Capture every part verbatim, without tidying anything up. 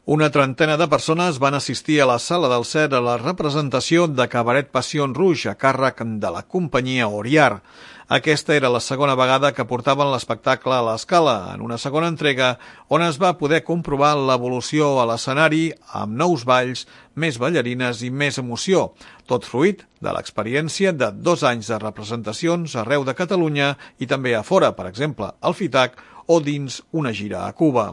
Una trentena de persones van assistir a la Sala del Set a la representació de Cabaret Passion Rouge a càrrec de la companyia Oriar. Aquesta era la segona vegada que portaven l'espectacle a l'Escala, en una segona entrega on es va poder comprovar l'evolució a l'escenari amb nous balls, més ballarines i més emoció, tot fruit de l'experiència de dos anys de representacions arreu de Catalunya i també a fora, per exemple, al FITAC o dins una gira a Cuba.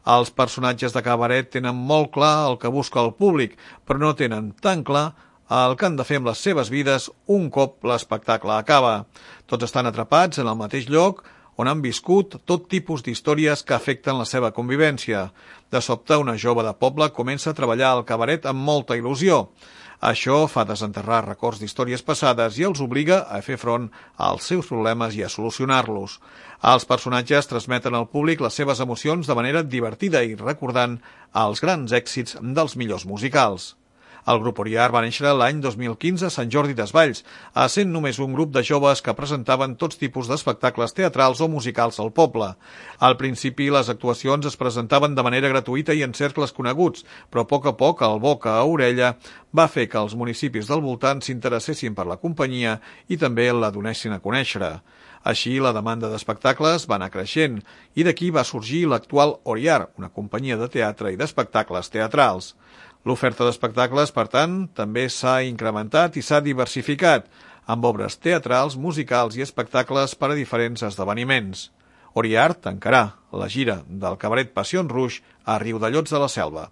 Els personatges de cabaret tenen molt clar el que busca el públic, però no tenen tan clar el que han de fer amb les seves vides un cop l'espectacle acaba. Tots estan atrapats en el mateix lloc on han viscut tot tipus d'històries que afecten la seva convivència. De sobte, una jove de poble comença a treballar al cabaret amb molta il·lusió. Això fa desenterrar records d'històries passades i els obliga a fer front als seus problemes i a solucionar-los. Els personatges transmeten al públic les seves emocions de manera divertida i recordant els grans èxits dels millors musicals. El grup Oriar va néixer l'any dos mil quinze a Sant Jordi Desvalls, essent només un grup de joves que presentaven tots tipus d'espectacles teatrals o musicals al poble. Al principi, les actuacions es presentaven de manera gratuïta i en cercles coneguts, però a poc a poc el boca a orella va fer que els municipis del voltant s'interessessin per la companyia i també la donessin a conèixer. Així, la demanda d'espectacles va anar creixent i d'aquí va sorgir l'actual Oriar, una companyia de teatre i d'espectacles teatrals. L'oferta d'espectacles, per tant, també s'ha incrementat i s'ha diversificat, amb obres teatrals, musicals i espectacles per a diferents esdeveniments. Oriar tancarà la gira del Cabaret Passion Rouge a Riudellots de la Selva.